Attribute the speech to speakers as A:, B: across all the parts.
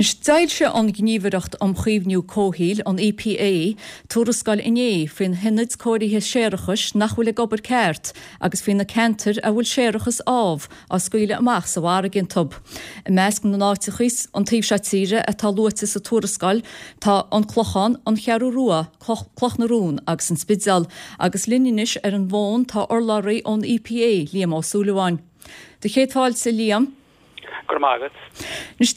A: Anois, d'fhoilsigh an Ghníomhaireacht um Chaomhnú Comhshaoil, an EPA, tuarascáil inné faoi na hionaid cóirithe séarachais nach bhfuil ag obair ceart agus faoi na ceantair a bhfuil séarachas amh á scaoileadh amach sa bhfarraige iontu. I measc na n-áiteachaí an taobh seo tíre atá luaite sa tuarascáil tá An Clochán, An Cheathrú Rua, Cloch na Rón agus An Spidéal. Agus linn anois ar an bhfón tá urlabhraí ón EPA, Liam Ó Súilleabháin. Do chéad fáilte, Liam.
B: Go raibh maith agat.
A: Anois,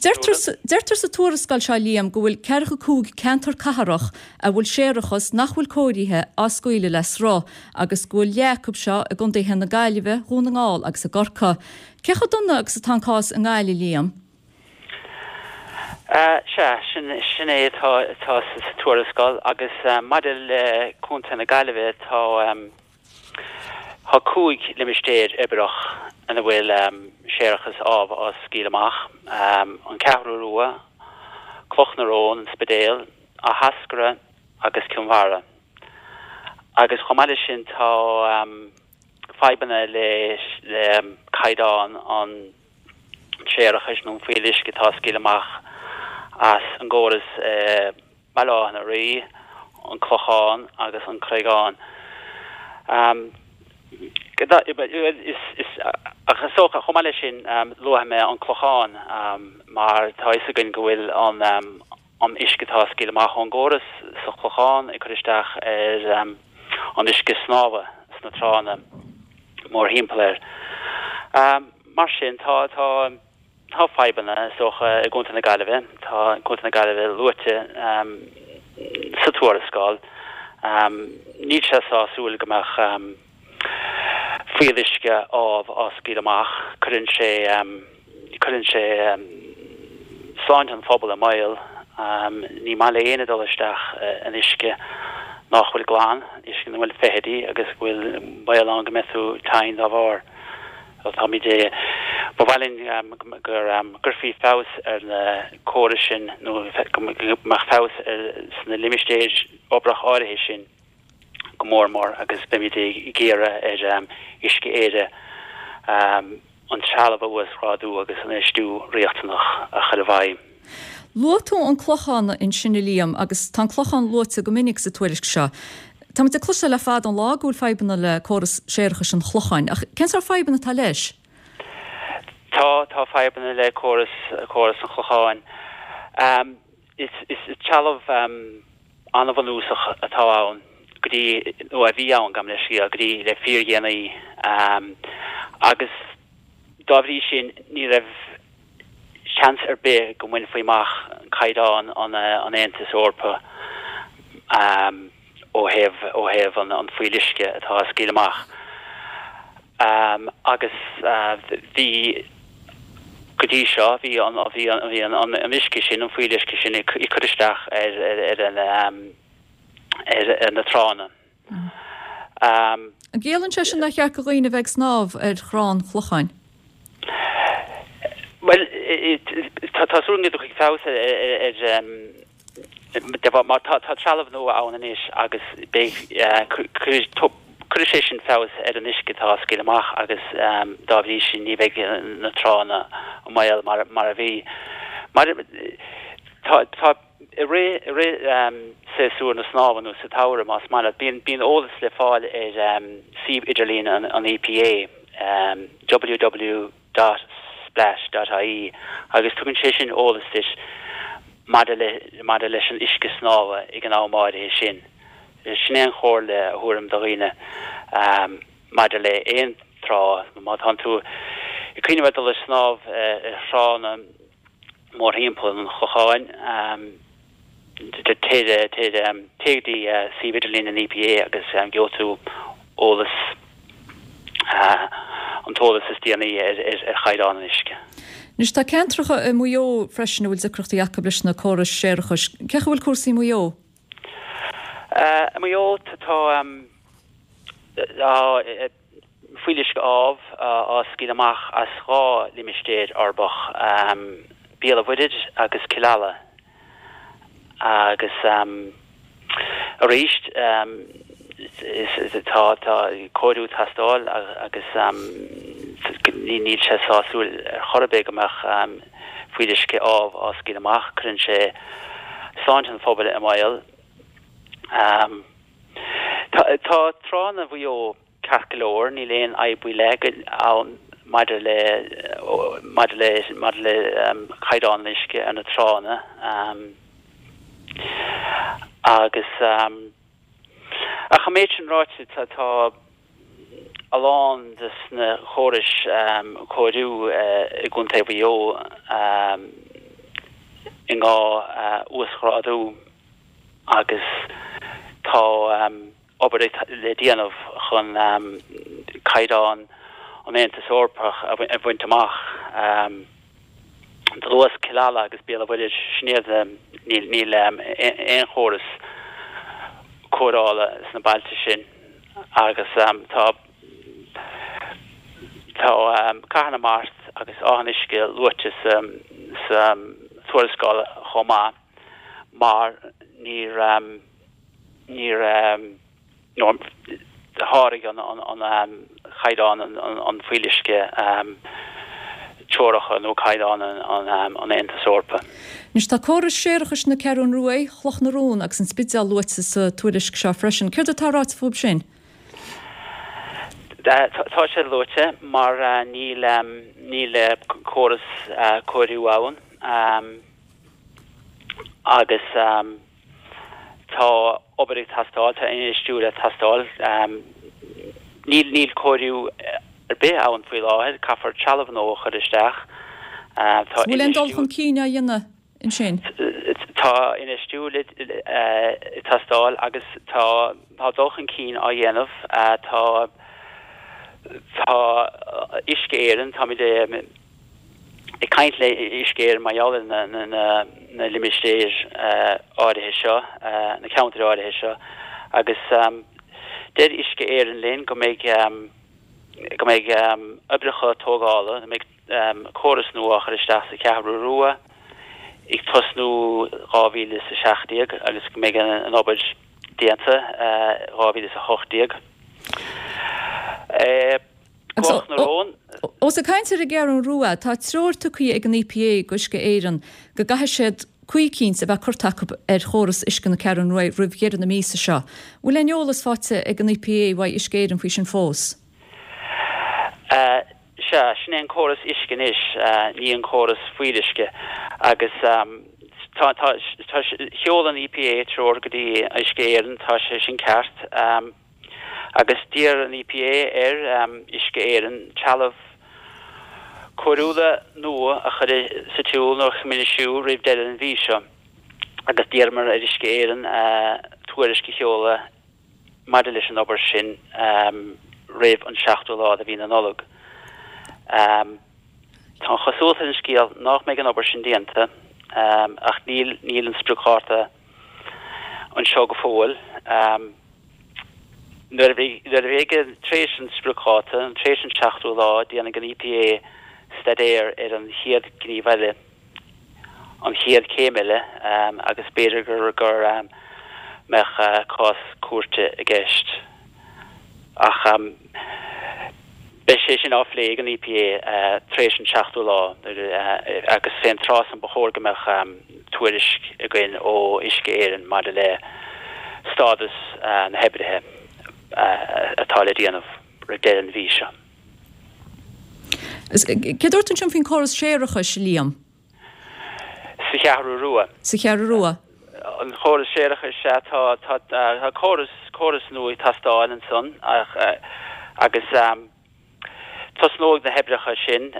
A: deirtear sa tuarascáil seo, Liam, go bhfuil 45 ceantar cathrach a bhfuil séarachas nach bhfuil cóirithe á scaoileadh le sruth agus go bhfuil leath acu seo i gcontaetha na Gaillimhe, Dhún na nGall agus i gCorcaigh. Cé chomh dona agus atá an cás i nGaillimh, Liam?
B: Sea, sin é atá sa tuarascáil agus maidir le Contae na Gaillimhe tá. Tá 5 limistéar uirbeach ina bhfuil séarachas amh á scaoileadh amach, An Cheathrú Rua, Cloch na Rón, An Spidéal, Áth hEascartha agus Cill Mhara. Agus chomh maith leis sin tá fadhbanna le caighdeán an tséarachais nó an fuíolluisce atá á scaoileadh amach as an gcóras i Baile Átha na Rí, An Clochán agus An Creagán. Ach is dócha, chomh maith leis sin, luafaidh mé An Clochán mar tá a fhios againn go bhfuil an an uisce atá á scaoileadh amach ón gcóras sa Chlochán ag cur isteach ar an uisce snámha sna tránna mórthimpeall air. Mar sin, tá tá. Tá fadhbanna, is dócha, i gContae na Gaillimhe. Tá Contae na Gaillimhe luaite sa tuarascáil. Níl sé sásúil go mbeadh fuíolluisce amh á scaoileadh amach. Cuireann sé, cuireann sé sláinte an phobail i mbaol. Ní maith le éinne dul isteach in uisce nach bhfuil glan, uisce ina bhfuil feithidí agus go bhfuil baol ann go mbeidh tú tinn dá bharr. Táimid, ba mhaith linn go gcuirfí feabhas ar na córais sin nó go mbeadh feabhas sna limistéir uirbeach áirithe sin go mór mór agus beimid ag iarraidh ar Uisce Éireann an trealamh a uasghrádú agus an infheistiú riachtanach a chur i bhfeidhm.
A: Luaigh tú an Clochán ansin a Liam agus tá an Clochán luaite go minic sa tuairisc seo. Táimid ag cloisteáil le fada an lá go bhfuil fadhbanna le córas séarachais an Chlocháin ach cén sórt fadhbanna atá leis?
B: Tá, tá fadhbanna le córas, córas an Chlocháin. Is, is trealamh an-bhunúsach atá ann go dtí, nó a bhí ann, gabh mo leithscéal, go dtí le fíordhéanaí agus dá bhrí sin ní raibh seans ar bith go mbainfí amach caighdeán an Aontais Eorpaigh ó thaobh ó thaobh an fuíolluisce atá á scaoileadh amach. Agus bhí go dtí seo bhí an bhí an bhí an an uisce sin an fuíolluisce sin ag cur isteach ar ar ar an ar na tránna.
A: An gciallaíonn sé sin nár cheart do dhaoine a bheith ag snámh ar thrá an Chlocháin?
B: Bhuel, tá súil agam go dtiocfaidh feabhas ar mar tá trealamh nua ann anois agus beidh cuirfidh sé sin feabhas ar an uisce atá á scaoileadh amach agus dá bhrí sin ní bheidh na tránna i mbaol mar a bhí. Mar tá I rith, i rith séasúr na snámha nó sa tsamhradh más maith leat, bíonn, bíonn eolas le fáil ar suíomh idirlín an, an EPA, www dot splash dot ie, agus tugann sé sin eolas duit maidir le, maidir leis an uisce snámha ag an am áirithe sin. Sin é an chomhairle a thabharfainn do dhaoine maidir le aon trá, má tánn tú ag cuimhneamh ar dul ag snámh ar thránna, mórthimpeall an Chlocháin. Téigh go dtí suíomh idirlín an EPA agus gheobhaidh tú eolas, an t-eolas is déanaí ar chaighdeán an uisce.
A: Anois tá ceantracha i Maigh Eo freisin a bhfuil deacrachtaí acu leis na córais séarachais. Cén chaoi a bhfuil cúrsaí i Maigh Eo?
B: I Maigh Eo tá. Fuíolluisce amh á scaoileadh amach as 2 limistéir uirbeach, Béal an Mhuirthead agus Cill Ala. Agus arís tá cóiriú ag teastáil agus. Níl sé sásúil ar chor ar bith go mbeadh fuíolluisce amh á scaoileadh amach. Cuireann sé sláinte an phobail i mbaol. Tá tránna Mhaigh Eo ceart go leor, níl aon fhadhb faoi leith ann maidir le maidir le maidir le caighdeán an uisce ar na tránna agus ach an méid sin ráite tá tá a lán de na córais cóiriú i gContae Mhaigh Eo i ngá uasghrádú agus tá obair le déanamh chun caighdeán an Aontais Eorpach a bhaint amach. Do luas Cill Ala agus Béal an Mhuirthead, sin iad, níl aon chóras cóireála sna bailte sin agus tá tá Cathair na Mart agus Áth an Uisce luaite sa tuarascáil chomh maith mar níor níor nó sháraigh an caighdeán an fuíolluisce teoracha nó caighdeán an Aontais Eorpaigh.
A: Anois tá córais séarachais na Ceathrún Ruaidh, Chloch na Rón agus an Spidéal luaite sa tuairisc seo freisin. Céard atá ráite fúthu sin?
B: Tá sé luaite mar níl níl córas cóiriú ann agus Tá obair ag teastáil, tá infheistiú le teastáil. Níl, níl cóiriú ar bith ann faoi láthair, caithfear trealamh nua a chur isteach.
A: Tá Bhfuil aon dul chun cinn á dhéanamh ansin?
B: Tá infheistiú le teastáil agus tá, tá dul chun cinn á dhéanamh. Tá, tá Uisce Éireann, táimid ag caint le Uisce Éireann mar gheall ar na limistéir áirithe seo, na ceantair áirithe seo, agus deir Uisce Éireann linn go mbeidh go mbeidh oibreacha tógála, go mbeidh córas nua á chur isteach sa Cheathrú Rua ag tosnú 2017 agus go mbeidh an obair déanta 2018.
A: Cloch na Rón. Ós ag caint ar an gCeathrú Rua, tá treoir tugtha ag an EPA go Uisce Éireann go gcaithfidh siad caoi eicínt a bheith curtha acu ar chóras uisce na Ceathrún Rua roimh dheireadh na míosa seo. Bhfuil aon eolas faighte ag an EPA uaidh Uisce Éireann faoi sin fós?
B: Sea, sin é an córas uisce anois, ní an córas fuíolluisce. Agus tá, tá, tá, sheol an EPA treoir go dtí Uisce Éireann, tá sé sin ceart. Agus d'iarr an EPA ar Uisce Éireann trealamh cóiriúla nua a chur sa tsiúl nó a choimisiú roimh deireadh an mhí seo agus d'iarramar ar Uisce Éireann tuairisc a sheoladh maidir leis an obair sin roimh an seachtú lá de mhí na Nollag. Tá an chosúlacht ar an scéal nach mbeidh an obair sin déanta ach níl níl an spriocdháta anseo go fóill. Nuair a bheidh, tar éis an spriocdháta, tar éis an seachtú lá, déanfaidh an EPA staidéar ar an chéad ghníomh eile, an chéad chéim eile, agus b'fhéidir gur go mbeadh cás cúirte i gceist. Ach beidh sé sin á phlé ag an EPA tar éis an seachtú lá agus fén tráth san ba chóir go mbeadh tuairisc againn ó Uisce Éireann maidir le stádas na hoibrithe atá le déanamh roimh deireadh an mhí seo.
A: Céard a dúirt tú ansin faoin córas séarachais, Liam?
B: Sa Cheathrú Rua.
A: Sa Cheathrú Rua.
B: An chóras séarachais, sea, tá, tá, tá córas, córas nua ag teastáil ansan ach, agus tosnóidh na hoibreacha sin,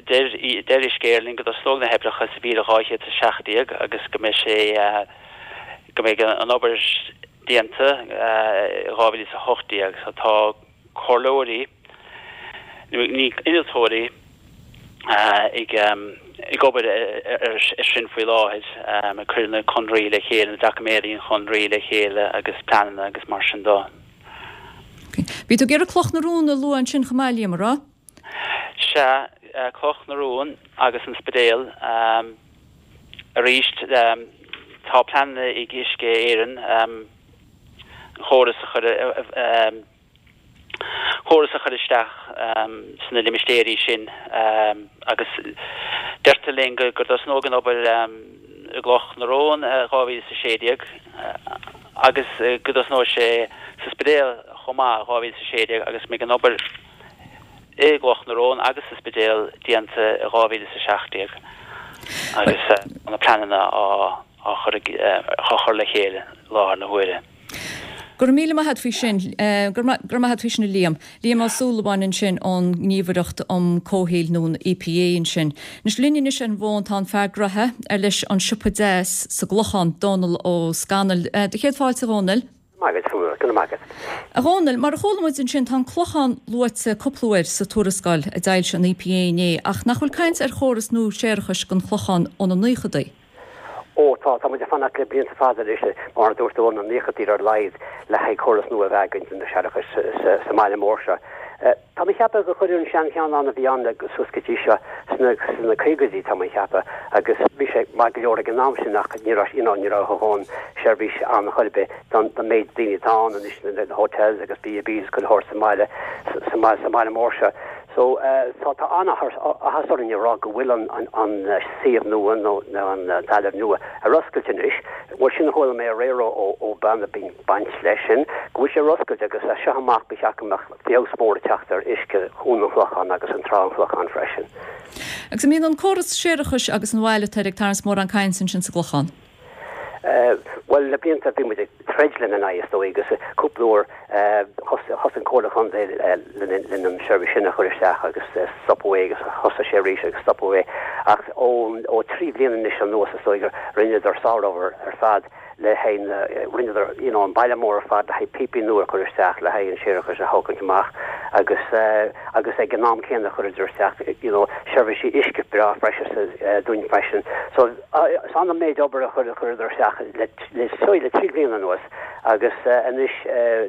B: deir, deir Uisce Éireann linn go dtosnóidh na hoibreacha sa mhíle 217 agus go mbeidh sé, go mbeidh an obair déanta i 2018. So tá comhairleoirí, ní innealtóirí, ag ag obair ar sin faoi láthair, ag cur na conraí le chéile, na doiciméadaí an chonraí le chéile agus pleananna agus mar sin dó.
A: Bhí tú ag iarraidh Cloch na Rón a lua ansin chomh maith, Liam, an raibh?
B: Sea, Cloch na Rón agus an Spidéal. Arís, tá pleananna ag Uisce Éireann an chóras a chur. Córas a chur isteach sna limistéirí sin agus deirtear linn go dtosnóidh an obair i gCloch na Rón i 2016 agus go dtosnóidh sé sa Spidéal chomh maith i 2016 agus go mbeidh an obair i gCloch na Rón agus sa Spidéal déanta i 2017 agus na pleananna á á chur le chéile i láthair na huaire.
A: Go raibh míle maith a't faoi sin. Go raibh maith a't faoi sin a Liam. Liam Ó Súilleabháin ansin ón nGníomhaireacht um Comhshaoil nó an EPA ansin. Anois linn anois ar an bhfón tá an fear graithe ar leis an Siopa Deas sa gClochán, Dónal Ó Scanaill. Do chéad fáilte a Dhónaill.
C: Maith agat, go raibh maith agat.
A: A Dhónaill, mar a chuala muid ansin tá an Clochán luaite cúpla uair sa tuarascáil a d'fhoilsigh an EPA inné ach nach bhfuil caint ar chóras nua séarachais don Chlochán ó na naochadaí?
C: Ó, tá, tá muid ag fanacht le blianta fada anois, mar a dúirt tú, ó na naochadaí ar a laghad, le haghaidh córas nua a bheith againn don séarachas sa mbaile mór seo. Tá mé ag ceapadh gur cuireadh an seancheann ann a bhí ann suas go dtí seo sna, sna caogaidí, tá mé ag ceapadh, agus bhí sé maith go leor ag an am sin ach ní raibh, you know, ní raibh a dhóthain seirbhís ann chor ar bith don, don méid daoine atá ann anois, na hotels agus B&Bs is chuile shórt sa mbaile, sa, sa mbaile mór seo. So, tá, tá an-áthas orainn a rá go bhfuil an, an, an suíomh nua nó, nó an talamh nua ar oscailt anois. Bhuel, sin a chuala mé aréir ó, ó, ó bean a bíonn baint leis sin, go bhfuil sé ar oscailt agus as seo amach ba cheart go mbeadh feabhas mór ag teacht ar uisce Chuan an Chlocháin agus an Trá an Chlocháin freisin.
A: Agus an mbíonn an córas séarachais agus an bhail atá air ag tarraingt mórán cainte ansin sa gClochán?
C: Bhuel, le blianta bhí muid ag troid lena n-aghaidh, is dóigh, agus cúpla uair thosaigh an Comhairle Chontae lena an seirbhís sin a chur isteach agus stopadh é agus thosaigh sé arís agus stopadh é. Ach ó thrí bhliana anois anuas, is dóigh, rinneadar sárobair ar fad le haghaidh na, rinneadar, you know, an baile mór ar fad le haghaidh píopaí nua a chur isteach, le haghaidh an séarachas a thógaint amach agus agus ag an am céanna chuireadar isteach, you know, seirbhísí uisce breá freisin dúinn freisin. So, Is an méid obair a chuireadar isteach le le 3 bliana anuas agus anois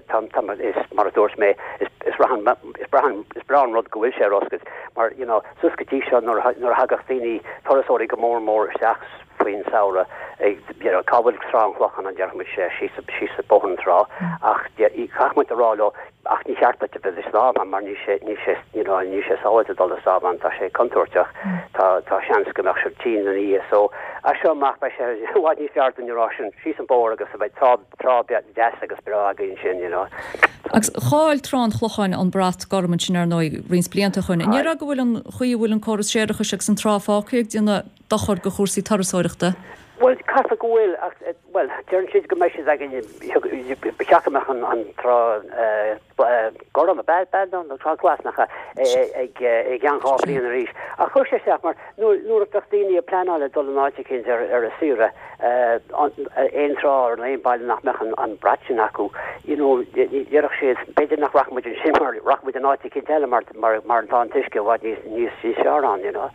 C: tá is mar a dúirt mé is is is breá an rud go bhfuil sé ar oscailt mar you know suas go dtí seo nuair a thagadh daoine turasóirí go mór mór isteach faoin samhradh ag you know cá bhfuil Trá an Chlocháin an déarfaidh muid síos síos Bóthar na Trá ach caithfidh muid a rá leo Ach ní cheart duit a bheith ag snámh ann mar níl sé, níl sé, you know, níl sé sábháilte dul ag snámh ann, tá sé contúirteach, tá, tá seans go mbeadh sibh tinn ina dhiaidh. So, as seo amach beidh sé i bhfad níos fearr dúinn a rá sin, síos an bóthar agus beidh trá, trá deas agus breá againn ansin, you know.
A: Agus chaill Trá an Chlocháin an brat gorm ansin ar ndóigh roinnt blianta ó shoin. An ndéarfá go bhfuil an chaoi a bhfuil an córas séarachais agus an trá fágtha ag déanamh dochar do chúrsaí turasóireachta?
C: Bhuel, caithfidh go bhfuil, ach, bhuel, deireann siad go mbeidh siad againn, ba cheart go mbeadh an trá gorm, ab ea, nó trá glas, nach ea, i gceann 2 bhliain arís. Ach chuir sé isteach mar nuair a bheadh daoine ag pleanáil le dul in áit eicínt ar a saoire, aon trá nó aon baile nach mbeadh an brat sin acu, you know, déarfadh siad, b'fhéidir nach rachadh muid ansin mar rachadh muid in áit eicínt eile mar mar tá an t-uisce i bhfad níos fearr ann, you know.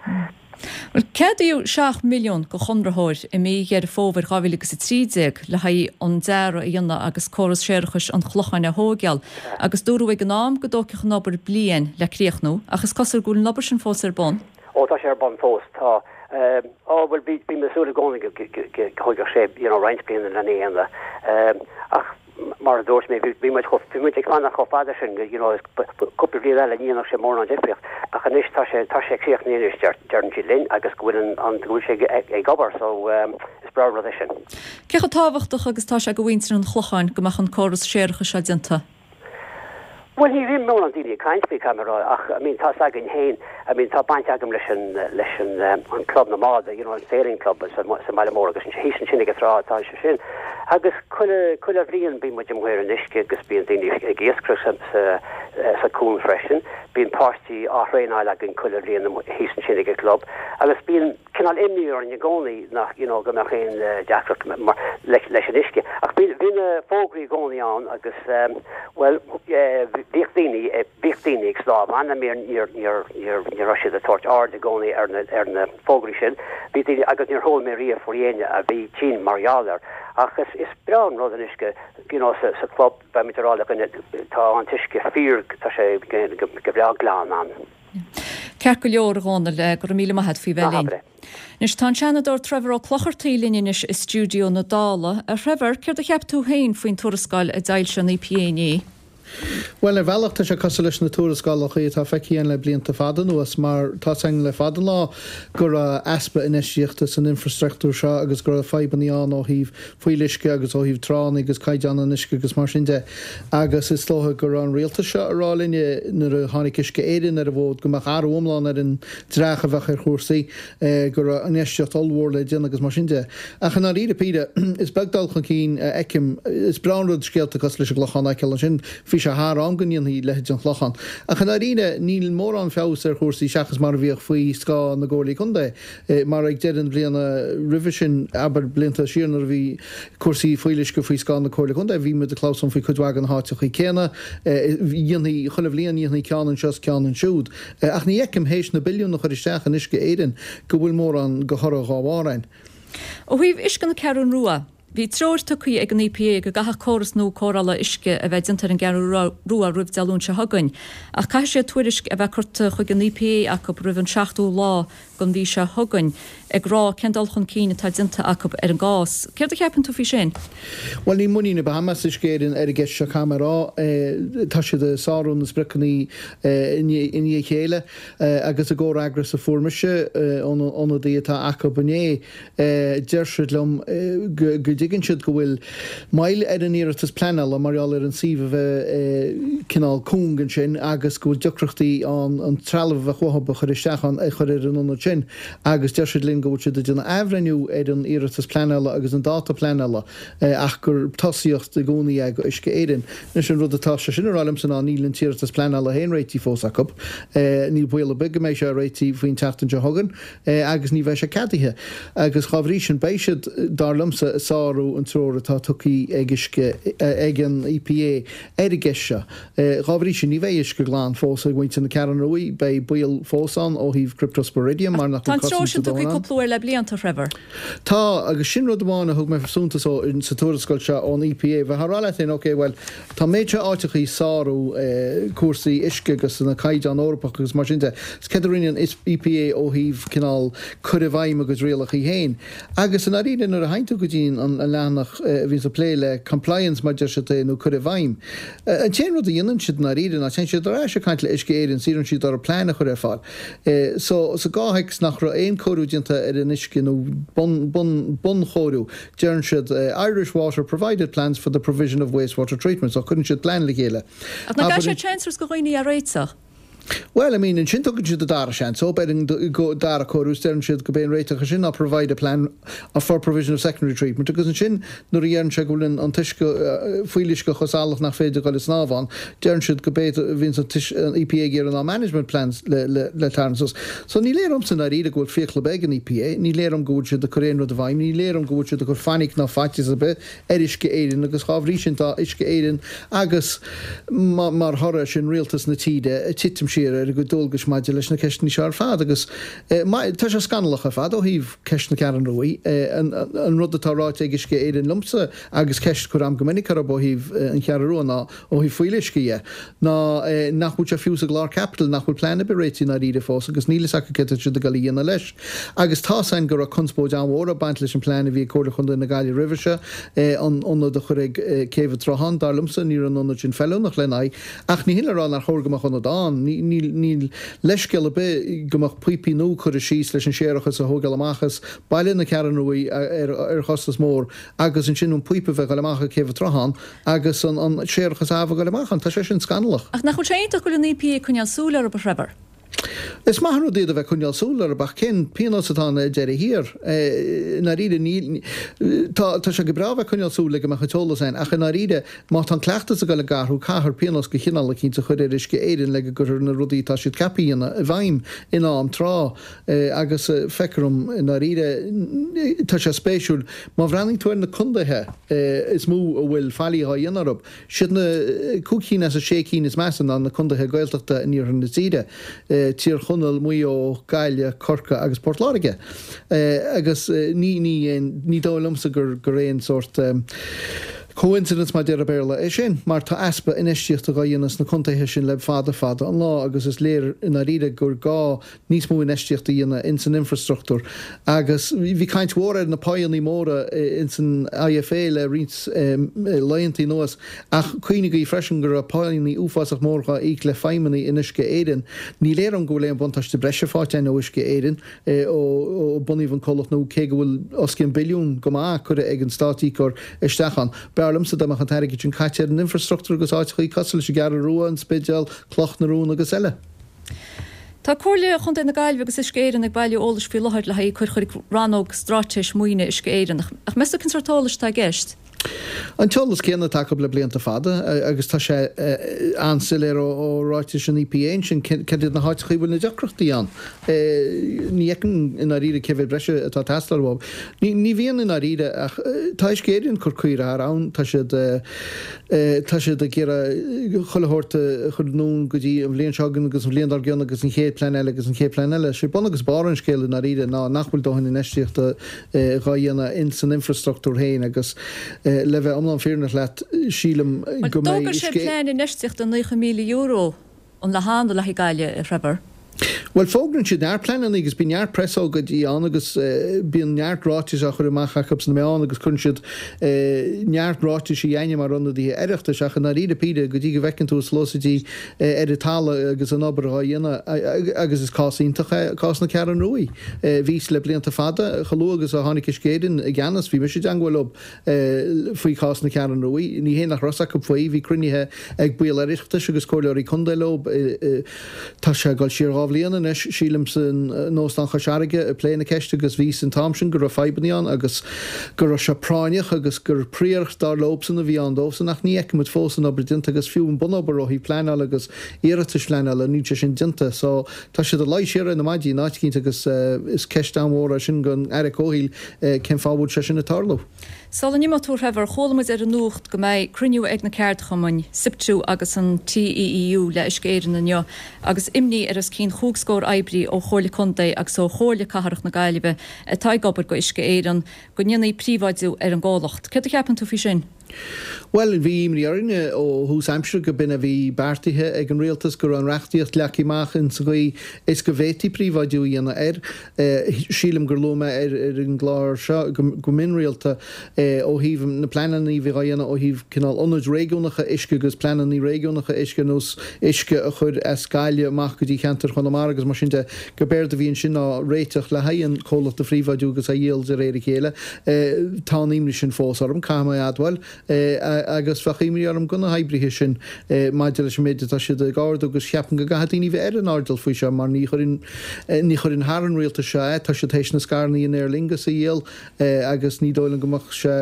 A: Bhuel, ceadaíodh 7 milliún do chonraitheoir i mí Dheireadh Fómhair 2013 le haghaidh an dearadh a dhéanamh agus córas séarachais an Chlocháin a thóigeáil agus dúradh ag an am go dtógfadh an obair bliain le críochnú ach is cosúil go bhfuil an obair sin fós ar bun.
C: Ó, tá sé ar bun fós, tá. Ó, bhuel, bhí mé ag súil i gcónaí go dtógfadh sé, you know, roinnt bliana lena dhéanamh. Ach mar a dúirt mé, bhí muid chomh, bhí muid ag fanacht chomh fada sin, you know, cúpla bliain eile ní dhéanfadh sé mórán difríocht. Ach anois tá sé, tá sé críochnaithe anois, deir, deireann siad linn, agus go bhfuil an, an, go bhfuil sé ag, ag obair, so is breá an rud é sin.
A: Cé chomh tábhachtach agus atá sé do mhuintir an Chlocháin go mbeadh an córas séarachais seo déanta?
C: Bhuel, ní bhíonn mórán daoine ag caint faoi, caithfidh mé a rá, ach, I mean, tá's againn féin, I mean, tá baint agam leis an, leis an, an club na mbád, you know, an sailing club sa, sa mbaile mór agus thíos ansin ag an trá atá sé sin. Agus chuile, chuile bhliain bíonn muid amuigh ar an uisce agus bíonn daoine ag iascaireacht sa, sa, sa cuan freisin. Bíonn páistí á thraenáil againn chuile bhliain thíos ansin ag an club agus bíonn, cineál imní orainn i gcónaí nach, you know, go mbeadh aon deacracht mar, leis an uisce. Ach bhí, bhí na fógraí i gcónaí ann agus, bhuel, bhíodh daoine, bhíodh daoine ag snámh ann, I mean, níor, níor, níor, ní raibh siad ag tabhairt aird i gcónaí ar na, ar na fógraí sin. Bhí daoine, agus níor chuala mé riamh faoi éinne a bhí tinn mar gheall air. Ach is, is breá an rud an uisce, you know, sa, sa club, beimid ag rá le dhuine, tá an t-uisce fíor, tá sé go, go breá glan ann.
A: Ceart go leor, a Dhónaill, go raibh míle maith a't faoi bheith linn. Anois, tá an Seanadóir Trevor Ó Clochartaigh linn anois i stiúideo na Dála. A Threvor, céard a cheap tú féin faoin tuarascáil a d'fhoilsigh an EPA inné?
D: Bhuel, ar bhealach tá sé cosúil leis na tuarascálacha atá feicthe againn le blianta fada anuas mar tá's againn le fada an lá go raibh easpa infheistíochta san infreastruchtúr seo agus go raibh fadhbanna ann ó thaobh fuíolluisce agus ó thaobh tránna agus caighdeán an uisce agus mar sin de agus is dócha go raibh an rialtas seo ag rá linne nuair a tháinig Uisce Éireann ar an bhfód go mbeadh athrú iomlán ar an dreach a bheadh ar chúrsaí, go raibh infheistíocht ollmhór le déanamh agus mar sin de. Ach i ndáiríre píre, is beag dul chun cinn a fheicim. Is breá an rud scéalta cosúil leis an gClochán a fheiceáil ansin. Bhí sé thar am go ndéanfaí leithéid den Chlochán. Ach i ndáiríre, níl mórán feabhas ar chúrsaí seachas mar a bhíodh faoi scáth na gcomhairlí contae. Mar ag deireadh na bliana roimhe sin, abair blianta siar nuair a bhí cúrsaí fuíolluisce faoi scáth na comhairle contae, bhí muid ag clamhsán faoi cuid mhaith de na háiteachaí céanna. Dhéanfaí, chuile bhliain dhéanfaí ceann anseo is ceann ansiúd. Ach ní fheicim, théis na billiúin a chur isteach in Uisce Éireann, go bhfuil mórán de thoradh dhá bharr ann.
A: Ó thaobh uisce na Ceathrún Rua, bhí treoir tugtha ag an EPA go gcaithfeadh córas nua cóireála uisce a bheith déanta ar an gCeathrú Rua roimh Dé Luain seo chugainn, ach caithfidh sé tuairisc a bheith curtha chuig an EPA acu roimh an 7ú lá den mhí seo chugainn ag rá cén dul chun cinn atá déanta acu ar an gcás. Céard a cheapann tú faoi sin?
D: Bhuel, níl muinín ar bith agam as Uisce Éireann ar an gceist seo, caithfidh mé a rá. Tá siad ag sárú na spriocanna i ndiaidh a chéile agus i gcomhfhreagras a fuair mise ón ionadaí atá acu inné, Deir siad liom go dtuigeann siad go bhfuil moill ar an iarratas pleanála mar gheall ar an suíomh a bheith cineál cúng ansin agus go bhfuil deacrachtaí ann an trealamh a bheadh uathu a chur isteach ann a chur ar an ionad sin agus deir siad linn go bhfuil siad ag déanamh athbhreithniú ar an iarratas pleanála agus an dáta pleanála ach gur tosaíocht i gcónaí é go Uisce Éireann. Anois an rud atá sé sin a rá liomsa ná níl an t-iarratas pleanála féin réitithe fós acu. Níl baol ar bith go mbeidh sé réitithe faoin tseachtain seo chugainn. agus ní bheidh sé ceadaithe agus dhá bhrí sin beidh siad, dar liomsa, ag sárú an treoir atá tugtha ag uisce, ag an EPA ar an gceist seo. Dhá bhrí sin ní bheidh uisce glan fós ag muintir na Ceathrún Ruaidh, beidh baol fós ann ó thaobh Cryptosporidium mar nach
A: Tá bhfuil an treoir cosaint sin a tugtha dóthain ann. cúpla uair le blianta, a Threvor.
D: Tá, agus sin rud amháin a thug mé suntas ó sa tuarascáil seo ón EPA. Bheifeá ag rá leat féin, ok, bhuel, Tá an méid seo áiteachaí ag sárú cúrsaí uisce agus na caighdeáin Eorpach agus mar sin de. Is céard a rinne an EPA ó thaobh cineál cur i bhfeidhm a gcuid rialachaí féin? Agus i ndáiríre nuair a théann tú go dtí an leathanach a bhíonns ag plé le compliance mar deir siad é nó cur i bhfeidhm, an t-aon rud a dhéanann siad i ndáiríre ná téann siad ar ais ag caint le Uisce Éireann is iarrann siad orthu plean a chur ar fáil. So sa gcomhthéacs nach raibh aon cóiriú déanta ar an uisce nó bun, bun, bunchóiriú, Deireann siad Irish Water provided plans for the provision of wastewater treatment so cuireann siad plean le chéile.
A: Ach nach gcaithfidh sé seans a thabhairt do dhaoine é a réiteach?
D: Bhuel, I mean, ansin tugann siad an dara seans dóibh ar an dara cóiriú is deireann siad go b'é an réiteach ar sin ná provide a plan for provision of secondary treatment agus ansin nuair a dheireann sé go bhfuil an t-uisce, fuíolluisce chomh salach nach féidir dul ag snámh ann, deireann siad go b'é a bhíonns an EPA ag iarraidh ná management plans le le tarraingt suas. So ní léir dhomsa i ndáiríre go bhfuil fiacail ar bith ag an EPA, ní léir dhom go bhfuil siad ag cur aon rud i bhfeidhm, ní léir dhom go bhfuil siad ag cur fainic ná faitíos ar bith ar Uisce Éireann agus dhá bhrí sin tá Uisce Éireann agus mar thoradh air sin rialtas na tíre ag titim siar ar a gcuid dualgais maidir leis na ceisteanna seo ar fad agus tá sé scannalach ar fad ó thaobh ceist na Ceathrún Ruaidh. An rud atá ráite ag Uisce Éireann liomsa agus ceist curtha agam go minic orthu ó thaobh an Cheathrú Rua ná ó thaobh fuíolluisce dhe, ná nach bhfuil sé fiú sa gclár caipitil, nach bhfuil plean ar bith réitithe i ndáiríre fós agus níl fhios acu céard atá siad ag dul a dhéanamh leis. Agus tá's againn go raibh conspóid an-mhór ag baint leis an plean a bhí ag Comhairle Chontae na Gaillimhe roimhe seo, an ionad a chur ag Céibh an tSrutháin. Dar liomsa, ní raibh an ionad sin feiliúnach lena aghaidh. Ach ní hin le rá nár chóir go mbeadh ionad ann. Níl leithscéal ar bith go mbeadh píopaí nua curtha síos leis an séarachas a thógáil amach as baile na Ceathrún Ruaidh ar chostas mór agus ansin an píopa a bheith ag dul amach ag Céibh an tSrutháin. Agus an séarachas amh ag dul amach ann, tá sé sin scannalach.
A: Ach nach bhfuil sé iontach go bhfuil an EPA ag coinneáil súil orthu, a Threvor?
D: Is maith an rud iad a bheith ag coinneáil súil orthu, ach cén pionós atá ann ar deireadh thiar? I ndáiríre, níl, tá, tá sé go breá a bheith ag coinneáil súil le go mbeadh an t-eolas ann, ach i ndáiríre, má tá an cleachtas ag dul ag athrú, caithfear pionós de chineál eicínt a chur ar Uisce Éireann le go gcuirfear na rudaí atá siad ceaptha a dhéanamh i bhfeidhm in am tráth. Agus feictear dom, i ndáiríre, tá sé spéisiúil, má bhreathnaíonn tú ar na contaetha is mó a bhfuil faillí á dhéanamh orthu, siad na cúig cinn as an sé cinn is measa ná na contaetha Gaeltachta in iarthar na tíre, Tír Chonaill, Maigh Eo, Gaillimh, Corcaigh agus Port Láirge. Agus ní, ní, ní dóigh liomsa gur, gur aon sórt. Coincidence mar deir an Béarla é sin, mar tá easpa infheistíochta dhá dhéanamh sna contaetha sin le fada fada an lá agus is léir i ndáiríre gur gá níos mó infheistíochta a dhéanamh ins an infreastruchtúr. Agus bhí caint mhór ar na páigheannaí móra ins an IFA le roinnt laethantaí anuas ach cuimhnigí freisin go raibh páigheannaí uafásach mór dhá íoc le feidhmeannaigh in Uisce Éireann. Ní léir dom go bhfuil aon bhuntáiste breise faighte againn ó Uisce Éireann. ó bunaíodh an comhlacht nó cé go bhfuil os cionn billiún go maith curtha ag an stát-íocóir isteach ann. B'fhearr liomsa dá mbeadh an t-airgead sin caite ar an infreastruchtúr agus áiteachaí cosúil leis an gCeathrú Rua, an Spidéal, Cloch na Rón agus eile.
A: Tá Comhairle Chontae na Gaillimhe agus Uisce Éireann ag bailiú eolais faoi láthair le haghaidh cur chuig rannóg straitéis maoine Uisce Éireann. Ach meas tú cén sórt eolais atá i gceist?
D: An t-eolas céanna atá acu le blianta fada agus tá sé an-soiléir ó ráitis an EPA ansin cad iad na háiteacha a bhfuil na deacrachtaí ann. Ní fheicim i ndáiríre cé mhéad breise atá ag teastáil uathu. Ní bhíonn i ndáiríre ach tá Uisce Éireann ag cur caora thar abhainn, tá siad tá siad ag iarraidh chuile shórt a chur anonn go dtí an bhliain seo chugainn agus an bhliain dár gcionn agus an chéad plean eile agus an chéad plean eile. Sé bun agus barr an scéil i ndáiríre ná nach bhfuil dóthain infheistíochta dhá dhéanamh ins an infreastruchtúr féin agus le bheith iomlán fírinneach leat sílim
A: go mbeidh D'fhógair sé plean infheistíochta €90,000 an lá cheana le haghaidh Gaillimh, a Threvor.
D: Bhuel, fógraíonn siad neart pleananna agus bíonn neart preasócáidí ann agus bíonn neart ráitis á chur amach acu sna meáin agus cuireann siad neart ráitisí againne mar ionadaithe Oireachtais ach i ndáiríre píre go dtí go bhfeiceann tú sluasaidí ar an talamh agus an obair dhá dhéanamh agus is cás iontach é cás na Ceathrún Ruaidh. Bhíos le blianta fada, chomh luath agus a tháinig Uisce Éireann i gceannas, bhí mise i dteangmháil leo faoi chás na Ceathrún Ruaidh. Ní hé nach raibh 's acu faoi, bhí cruinnithe ag baill Oireachtais agus comhairleoirí contae leo, tá sé ag dul siar 2 bhliain anois, sílim, san Óstán Chois Fharraige ag plé na ceiste agus bhí 's an t-am sin go raibh fadhbanna ann agus go raibh sé práinneach agus gur príoracht dar leobsan a bhí ann dóibhsan ach ní fheicimid fós an obair déanta agus fiú an bunobair ó thaobh pleanála agus iarratais phleanála níl sé sin déanta so tá siad ag luí siar ar na maidí in áit eicínt agus is ceist an-mhór é sin don Aire Comhshaoil cén fáth a bhfuil sé sin ag tarlú.
A: Sula n-imeoidh tú a Threvor, chuala muid ar an nuacht go mbeidh cruinniú ag na ceardchumainn, Siptu agus an TEEU le Uisce Éireann inniu agus imní ar os cionn chúig scór oibrí ó Chomhairle Contae agus ó Chomhairle Cathrach na Gaillimhe atá ag obair go Uisce Éireann go ndéanfaí príobháidiú ar an gcomhlacht. Céard a cheapann tú faoi sin?
D: Bhuel, bhí imní orainne ó thús aimsire go b'in a bhí beartaithe ag an rialtas, go raibh an reachtaíocht leagtha amach in sa gcaoi is go bhféadfaí príobháidiú a dhéanamh air. Sílim gur luaigh mé ar an gclár seo go mion rialta ó thaobh na pleananna a bhí á dhéanamh ó thaobh cineál ionaid réigiúnacha uisce agus pleananna réigiúnacha uisce ar nós uisce a chur as Gaillimh amach go dtí ceantar Chonamara agus mar sin de, go b'éard a bhí ansin ná réiteach le haghaidh an comhlacht a phríobháidiú agus a dhíol de réir a chéile. Tá an imní sin fós orm, caithfidh mé a admháil, agus bheadh imní orm do na hoibrithe sin maidir leis an méid atá siad ag ardú agus cheapfainn go gcaithfidh daoine bheith ar an airdeall faoi seo mar ní chuireann ní chuireann thar an rialtas seo é. Tá siad théis na scaireanna in Aer Lingus a dhíol agus ní dóigh liom go mbeadh sé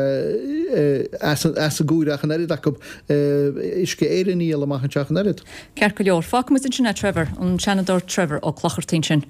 D: as an gcomhaireamh ach an oiread acu Uisce Éireann a dhíol amach anseo ach an oiread.
A: Ceart go leor. Fágfaimid ansin é Trevor, an Seanadóir Trevor Ó Clochartaigh ansin.